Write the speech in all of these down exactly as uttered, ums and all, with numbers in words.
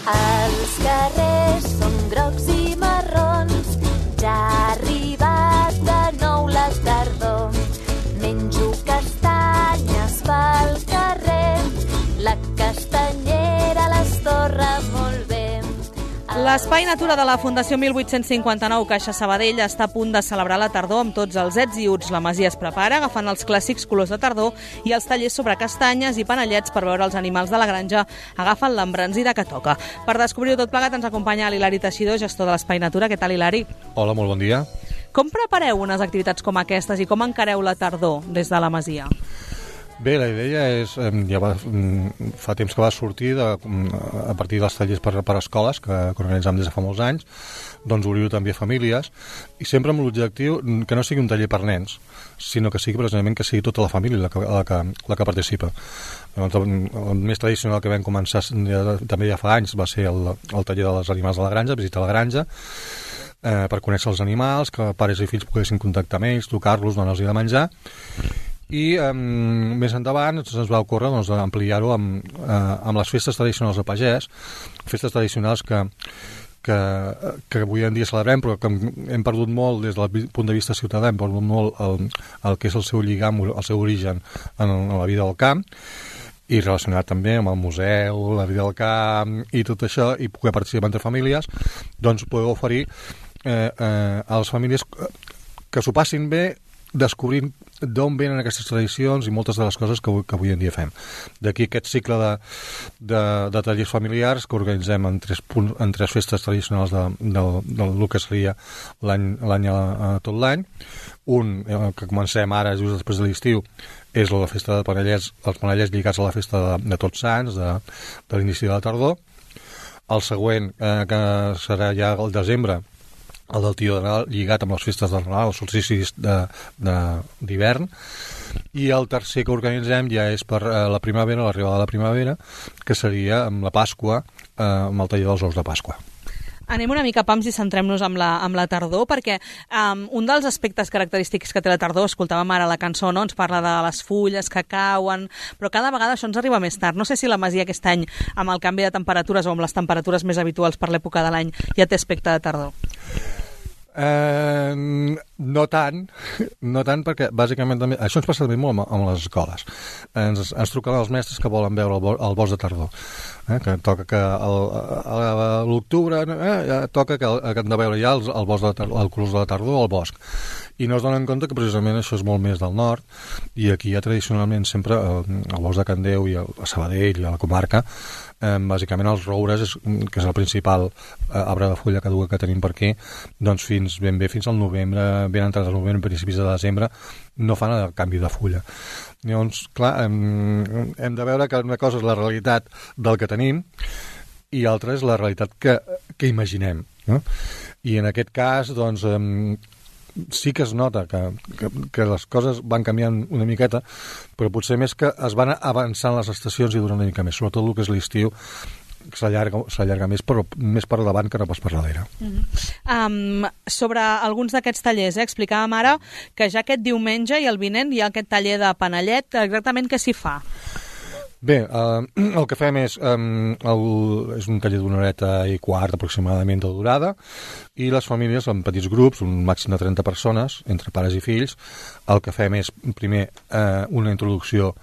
Els carrers són grocs i marrons, ja ha arribat de nou la tardor. Menjo castanyes pel carrer, la castanyera les torra molt bé. L'Espai Natura de la Fundació mil vuit-cents cinquanta-nou Caixa Sabadell està a punt de celebrar la tardor amb tots els ets i uts. La masia es prepara agafant els clàssics colors de tardor i els tallers sobre castanyes i panellets per veure els animals de la granja agafen l'embranzida que toca. Per descobrir-ho tot plegat ens acompanya l'Hilari Teixidor, gestor de l'Espai Natura. Què tal, Hilari? Hola, molt bon dia. Com prepareu unes activitats com aquestes i com encareu la tardor des de la masia? Bé, la idea és, ja va, fa temps que va sortir de, a partir dels tallers per, per escoles que, que organitzam des de fa molts anys, doncs obrir-ho també a famílies i sempre amb l'objectiu que no sigui un taller per nens, sinó que sigui precisament que sigui tota la família la que, la que, la que participa. Llavors, el, el més tradicional que vam començar ja, també ja fa anys va ser el, el taller dels animals de la granja, visitar la granja, eh, per conèixer els animals, que pares i fills poguessin contactar amb ells, tocar-los, donar-los de menjar. I eh, més endavant ens va ocórrer doncs, ampliar-ho amb, eh, amb les festes tradicionals de pagès, festes tradicionals que, que, que avui en dia celebrem, però que hem perdut molt des del punt de vista ciutadà, hem perdut molt el, el que és el seu lligam, el seu origen en, en la vida del camp, i relacionat també amb el museu, la vida del camp i tot això, i poder participar entre famílies, doncs poder oferir eh, eh, a les famílies que s'ho passin bé descobrint d'on venen aquestes tradicions i moltes de les coses que avui, que avui en dia fem. D'aquí aquest cicle de, de, de tallers familiars que organitzem en tres, punts, en tres festes tradicionals de, de, de, del que seria l'any a tot l'any. Un, eh, que comencem ara just després de l'estiu, és la festa de panellets, els panellets lligats a la festa de, de Tots Sants, de, de l'inici de la tardor. El següent, eh, que serà ja al desembre, el del Tio de Nadal, lligat amb les festes del Nadal, els solsticis d'hivern, i el tercer que organitzem ja és per eh, la primavera, l'arribada de la primavera, que seria amb la Pasqua, eh, amb el taller dels ous de Pasqua. Anem una mica pams i centrem-nos amb la, amb la tardor, perquè um, un dels aspectes característics que té la tardor, escoltàvem ara la cançó, no? Ens parla de les fulles que cauen, però cada vegada això ens arriba més tard. No sé si la masia aquest any, amb el canvi de temperatures o amb les temperatures més habituals per l'època de l'any, ja té aspecte de tardor. Eh, no tant, no tant perquè bàsicament també, això ens passa també molt amb, amb les escoles. Ens, ens truquen els mestres que volen veure el, bo, el bosc de tardor, eh, que toca que el, a l'octubre eh, toca que, que han de veure ja el, el bosc de tardor, el colors de la tardor al bosc, i no es donen compte que precisament això és molt més del nord, i aquí hi ha tradicionalment sempre el, el bosc de Candeu i el, a Sabadell i a la comarca, eh, bàsicament els roures, és, que és el principal eh, arbre de fulla caduca que tenim per aquí, doncs fins ben bé fins al novembre, ben entrat al novembre, principis de desembre, no fan el canvi de fulla. Llavors, clar, hem, hem de veure que una cosa és la realitat del que tenim i l'altra és la realitat que, que imaginem, no? I en aquest cas, doncs, eh, sí que es nota que, que, que les coses van canviant una miqueta, però potser més que es van avançant les estacions i duren una mica més, sobretot el que és l'estiu, s'allarga, s'allarga més, però més per davant que no pas per darrere. Mm-hmm. um, sobre alguns d'aquests tallers, eh, explicàvem ara que ja aquest diumenge i el vinent hi ha aquest taller de panellet, exactament què s'hi fa? Bé, eh, el que fem és, eh, el, és un taller d'una horeta i quart aproximadament de durada, i les famílies en petits grups, un màxim de trenta persones, entre pares i fills, el que fem és primer eh, una introducció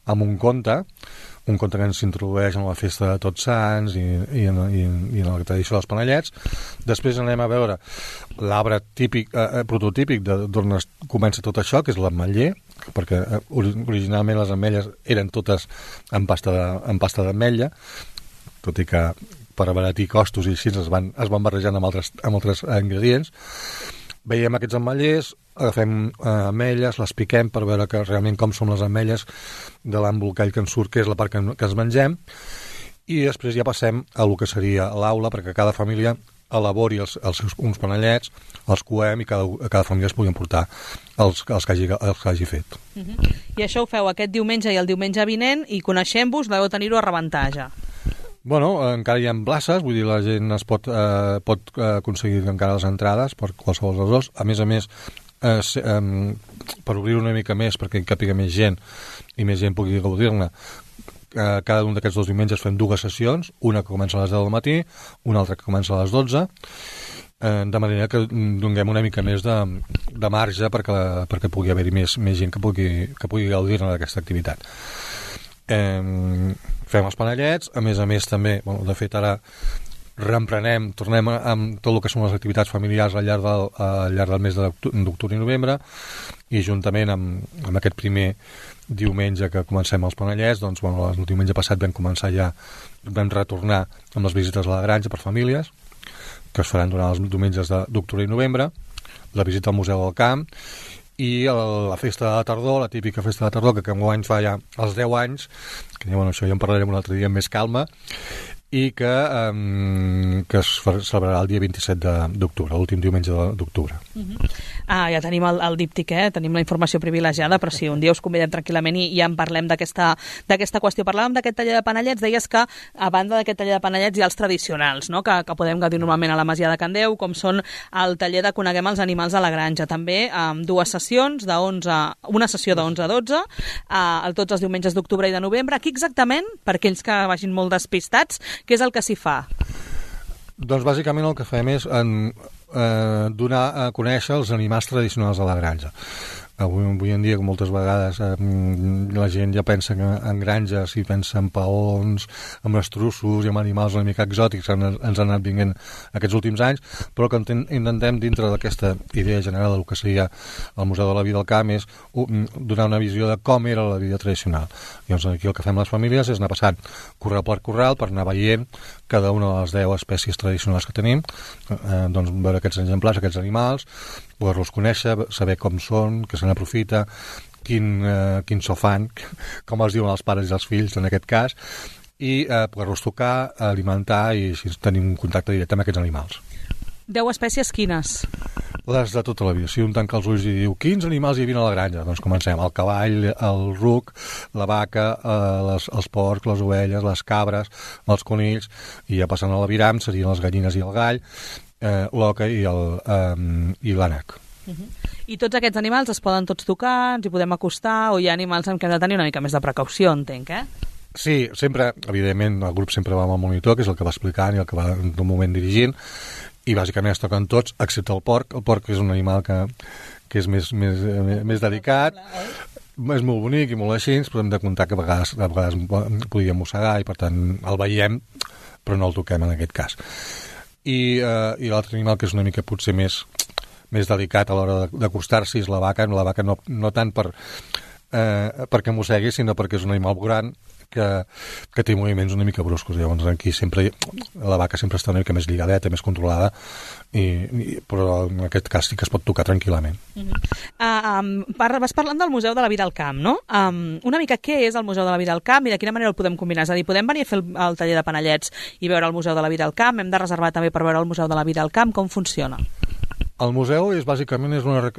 amb un conte, un conte que ens introdueix en la festa de Tots Sants i, i, en, i, i en la tradició dels panellets. Després anem a veure l'arbre típic, eh, prototípic d'on comença tot això, que és l'ametller, perquè originalment les ametlles eren totes en pasta de, en pasta d'ametlla, tot i que per abaratir costos i així es van, es van barrejant amb altres, amb altres ingredients. Veiem aquests ametllers, agafem eh, ametlles, les piquem per veure que realment com són les ametlles de l'embolcall que ens surt, que és la part que, que ens mengem, i després ja passem a el que seria l'aula, perquè cada família elabori els, els seus uns panellets, els coem i cada, cada família es pugui emportar els, els, que hagi, els que hagi fet. Uh-huh. I això ho feu aquest diumenge i el diumenge vinent, i coneixent-vos deveu tenir-ho a rebentar ja. Bueno, encara hi ha places, vull dir, la gent es pot, eh, pot aconseguir encara les entrades per qualsevol dels dos. A més a més, eh, eh, per obrir una mica més, perquè hi càpiga més gent i més gent pugui gaudir-ne, eh, cada un d'aquests dos diumenges fem dues sessions, una que comença a les deu del matí, una altra que comença a les dotze, eh, de manera que donem una mica més de, de marge perquè, perquè pugui haver-hi més, més gent que pugui, que pugui gaudir-ne d'aquesta activitat. Eh, fem els panellets, a més a més també, bueno, de fet ara reemprenem, tornem amb tot el que són les activitats familiars al llarg del, al llarg del mes d'octubre i novembre, i juntament amb, amb aquest primer diumenge que comencem els panellets, doncs bueno, el diumenge passat vam començar ja, vam retornar amb les visites a la granja per famílies, que es faran durant els diumenges d'octubre i novembre, la visita al Museu del Camp, i el, la festa de la tardor, la típica festa de la tardor, que aquest any fa ja els deu anys, que bueno, això ja en parlarem un altre dia amb més calma, i que, um, que es celebrarà el dia vint-i-set d'octubre, l'últim diumenge d'octubre. Uh-huh. Ah, ja tenim el, el díptic, eh? Tenim la informació privilegiada, però sí, un dia us convidem tranquil·lament i ja en parlem d'aquesta qüestió. Parlàvem d'aquest taller de panellets, deies que a banda d'aquest taller de panellets hi ha els tradicionals, no? que, que podem gaudir normalment a la Masia de Can Déu, com són el taller de Coneguem els animals a la granja, també amb dues sessions, de onze, una sessió de onze a dotze, a, tots els diumenges d'octubre i de novembre. Aquí exactament, per aquells que vagin molt despistats, què és el que s'hi fa? Doncs bàsicament el que fem és en, eh, donar a conèixer els animals tradicionals de la granja. Avui, avui en dia, moltes vegades, eh, la gent ja pensa que en granges i pensa en paons, en estrussos i en animals una mica exòtics que ens han anat vinguent aquests últims anys, però que intentem, dintre d'aquesta idea general del que seria el Museu de la Vida al Camp, és donar una visió de com era la vida tradicional. Llavors, aquí el que fem les famílies és anar passant corral per corral per anar veient cada una de les deu espècies tradicionals que tenim, eh, doncs veure aquests exemplars, aquests animals, poder-los conèixer, saber com són, què se n'aprofita, quin, eh, quin so fan, com els diuen els pares i els fills en aquest cas, i eh, poder-los tocar, alimentar i així tenim un contacte directe amb aquests animals. Deu espècies quines? Les de tota la vida. Si un tanca els ulls i diu quins animals hi havia a la granja, doncs comencem. El cavall, el ruc, la vaca, eh, les, els porcs, les ovelles, les cabres, els conills, i ja passant a l'aviram serien les gallines i el gall, eh, l'oca i el, eh, i l'ànec. Uh-huh. I tots aquests animals es poden tots tocar, ens hi podem acostar, o hi ha animals amb què hem de tenir una mica més de precaució, entenc, eh? Sí, sempre, evidentment, el grup sempre va amb el monitor, que és el que va explicant i el que va en un moment dirigint, i bàsicament es toquen tots, excepte el porc. El porc és un animal que, que és més, més, més delicat, és molt bonic i molt així, però hem de comptar que a vegades, a vegades podíem mossegar i per tant el veiem, però no el toquem en aquest cas. I, eh, i l'altre animal que és una mica potser més, més delicat a l'hora d'acostar-s'hi és la vaca. La vaca no, no tant per, eh, perquè mossegui, sinó perquè és un animal gran que, que té moviments una mica bruscos. Llavors aquí sempre la vaca sempre està una mica més lligadeta, més controlada, i, i, però en aquest cas sí que es pot tocar tranquil·lament. Uh-huh. uh, um, par vas parlant del Museu de la Vida al Camp, no? Um, una mica què és el Museu de la Vida al Camp i de quina manera el podem combinar? És a dir, podem venir a fer el, el taller de panellets i veure el Museu de la Vida al Camp? Hem de reservar també per veure el Museu de la Vida al Camp? Com funciona? El museu és bàsicament és una,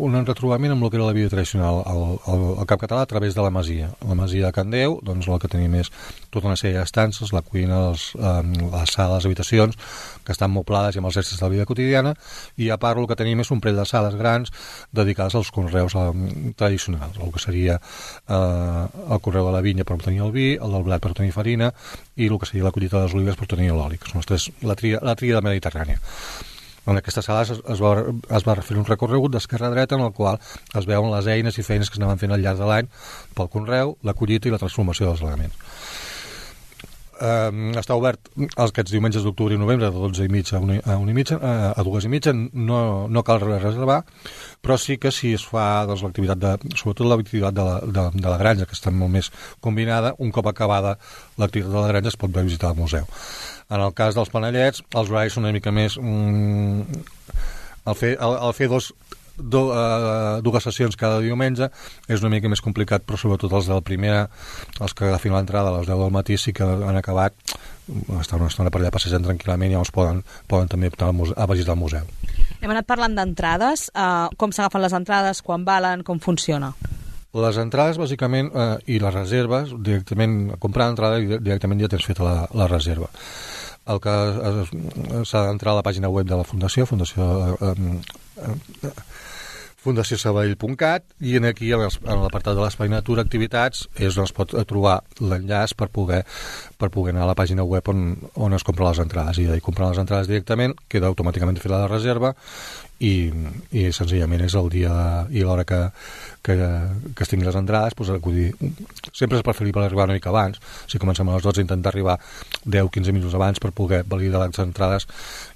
un retrobament amb el que era la vida tradicional al, al, al Camp Català a través de la Masia. La Masia de Can Déu, doncs el que tenim és tota una sèrie d'estances, la cuina, els, eh, les sales, les habitacions, que estan moblades i amb els restes de la vida quotidiana, i a part el que tenim és un parell de sales grans dedicades als conreus eh, tradicionals, el que seria eh, el conreu de la vinya per obtenir el vi, el del blat per obtenir farina, i el que seria la collita de les olives per obtenir l'oli, que són les tres, la tria, la tria de Mediterrània. En aquestes sales es, es, va, es va fer un recorregut d'esquerra a dreta en el qual es veuen les eines i feines que s'anaven fent al llarg de l'any pel conreu, la collita i la transformació dels elements. Um, està obert aquests diumenges d'octubre i novembre de dotze i mitja a una, a, una i mitja, a, a dues i mitja, no, no cal reservar, però sí que si es fa doncs, l'activitat de, sobretot l'activitat de la, de, de la granja, que està molt més combinada, un cop acabada l'activitat de la granja es pot visitar el museu. En el cas dels panellets, els horaris són una mica més... Mm, el fer, el, el fer dos, do, uh, dues sessions cada diumenge és una mica més complicat, però sobretot els de la primera, els que agafin l'entrada a les deu del matí sí que han acabat, estan una estona per allà passejant tranquil·lament i llavors poden, poden també optar a visitar el museu. Hem anat parlant d'entrades, uh, com s'agafen les entrades, quan valen, com funciona? Les entrades, bàsicament, eh, i les reserves, directament, comprar l'entrada i directament ja tens feta la, la reserva. El que s'ha d'entrar a la pàgina web de la Fundació, Fundació eh, eh, fundació sabadell punt cat, i en aquí, en l'apartat de l'Espai Natura Activitats, és on es pot trobar l'enllaç per poder, per poder anar a la pàgina web on, on es compren les entrades. I comprar les entrades directament, queda automàticament feta la reserva, i, i senzillament és el dia i l'hora que, que, que es tinguin les entrades, doncs, acudir. Sempre és preferible arribar una mica abans. Si comencem a les dotze, intentar arribar deu a quinze minuts abans per poder validar les entrades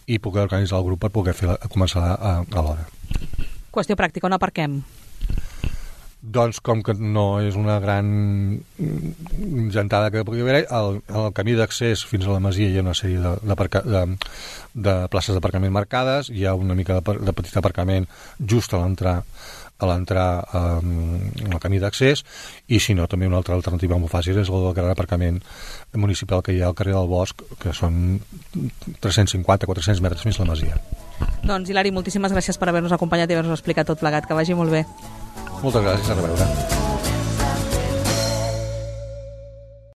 i poder organitzar el grup per poder fer, començar a, a l'hora. Qüestió pràctica, on aparquem? Doncs com que no és una gran gentada que pugui haver, el, el camí d'accés fins a la masia hi ha una sèrie de, de, de, de places d'aparcament marcades, hi ha una mica de, de petit aparcament just a l'entrar a l'entrar um, al camí d'accés, i si no, també una altra alternativa molt fàcil és el gran aparcament municipal que hi ha al carrer del Bosc, que són tres-cents cinquanta a quatre-cents metres fins a la masia. Doncs, Hilari, moltíssimes gràcies per haver-nos acompanyat i haver-nos explicat tot plegat. Que vagi molt bé. Moltes gràcies, a reveure.